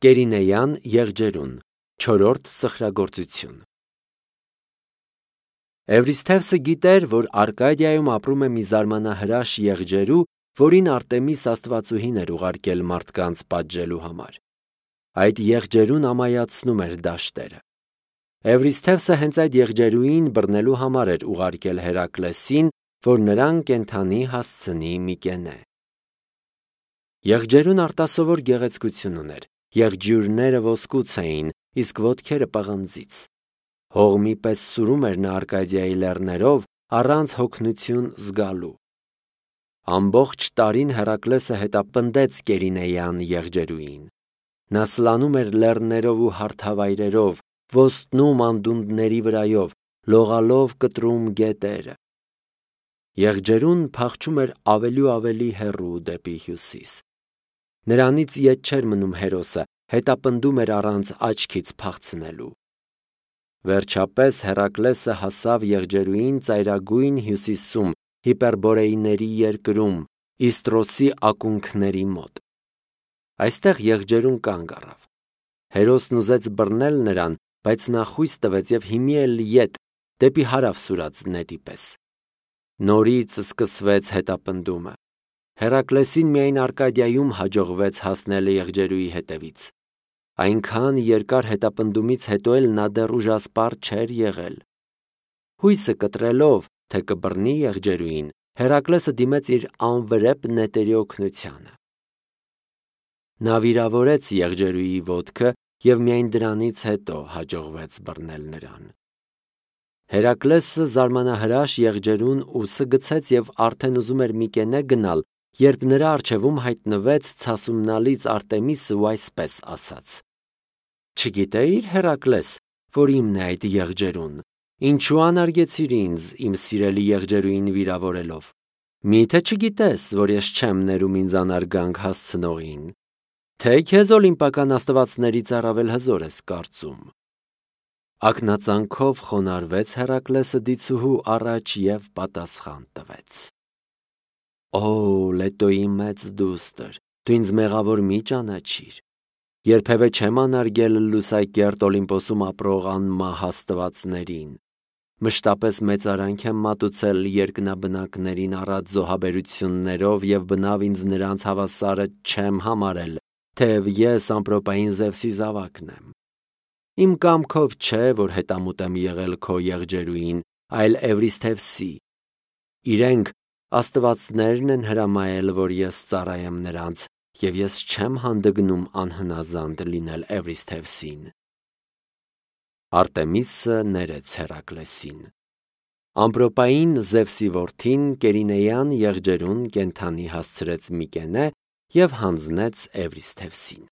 Կերինեյան եղջերուն, 4-րդ սխրագործություն։ Էվրիսթևսը գիտեր, որ Արկադիայում ապրում է մի զարմանահրաշ եղջերու, որին Արտեմիս աստվածուհին էր ուղարկել մարդկանց պատժելու համար։ Այդ եղջերուն ամայացնում էր դաշտերը։ Էվրիսթևսը հենց այդ եղջերուին բռնելու համար էր ուղարկել Հերակլեսին, որ նրան կենդանի հասցնի Միկենե։ Եղջերուն արտասովոր գեղեցկություն ուներ, եղջյուրները ոսկուց էին, իսկ ոտքերը պղնձից։ Հողմի պես սուրում էր նա Արկադիայի լեռներով, առանց հոգնություն զգալու։ Ամբողջ տարին Հերակլեսը հետապնդեց Կերինեյան եղջերուին։ Նա սլանում էր լեռներով ու հարթավայրերով, ոստնում անդունդների վրայով, լողալով կտրում գետերը։ Եղջերուն փախչում էր ավելի ու ավելի հեռու դեպի հյուսիս։ Նրանից ետ չէր մնում հերոսը, հետապնդում էր առանց աչքից փախցնելու։ Վերջապես Հերակլեսը հասավ եղջերուին ծայրագույն հյուսիսում, Հիպերբորեիների երկրում, Իստրոսի ակունքների մոտ։ Այստեղ եղջերուն կանգ առավ։ Հերոսն ուզեց բռնել նրան, բայց նա խույս տվեց և հիմի էլ ետ, դեպի հարավ սուրաց նետի պես։ Նորից սկսվեց հետապնդումը։ Հերակլեսին միայն Արկադիայում հաջողվեց հասնել եղջերուի հետևից։ Այնքան երկար հետապնդումից հետո էլ նա դեռ ուժասպառ չէր եղել։ Հույսը կտրելով, թե կբռնի եղջերուին, Հերակլեսը դիմեց իր անվրեպ նետերի օգնությանը։ Նա վիրավորեց եղջերուի ոտքը և միայն դրանից հետո հաջողվեց բռնել նրան։ Հերակլեսը զարմանահրաշ եղջերուն ուսը գցեց և արդեն ուզում էր Միկենե գնալ, երբ նրա առջևում հայտնվեց ցասումնալից Արտեմիսը ու այսպես ասաց. «Չգիտեի՞ր, Հերակլես, որ իմն է այդ եղջերուն, ինչու անարգեցիր ինձ, իմ սիրելի եղջերուին վիրավորելով։ Մի՞թե չգիտես, որ ես չեմ ներում ինձ անարգանք հասցնողին, թե քեզ օլիմպիական աստվածներից առավել հզոր ես կարծում»։ Ակնածանքով խոնարհվեց Հերակլեսը դիցուհու առաջ և պատասխան տվեց. «Օ, Լետոյի մեծ դուստր, դու ինձ մեղավոր մի ճանաչիր։ Երբևէ չեմ անարգել լուսակերտ Օլիմպոսում ապրող անմահ աստվածներին։ Մշտապես մեծարանք եմ մատուցել երկնաբնակներին առատ զոհաբերություններով և բնավ ինձ նրանց հավասարը չեմ համարել, թեև ես ամպրոպային Զևսի զավակն եմ։ Իմ կամքով չէ, որ հետամուտ եմ եղել քո եղջերուին, այլ Էվրիսթևսի։ Իրենք աստվածներն են հրամայել, որ ես ծառայեմ նրանց, և ես չեմ հանդգնում անհնազանդ լինել Էվրիսթևսին»։ Արտեմիսը ներեց Հերակլեսին։ Ամպրոպային Զևսի որդին Կերինեյան եղջերուն կենդանի հասցրեց Միկենե և հանձնեց Էվրիսթևսին։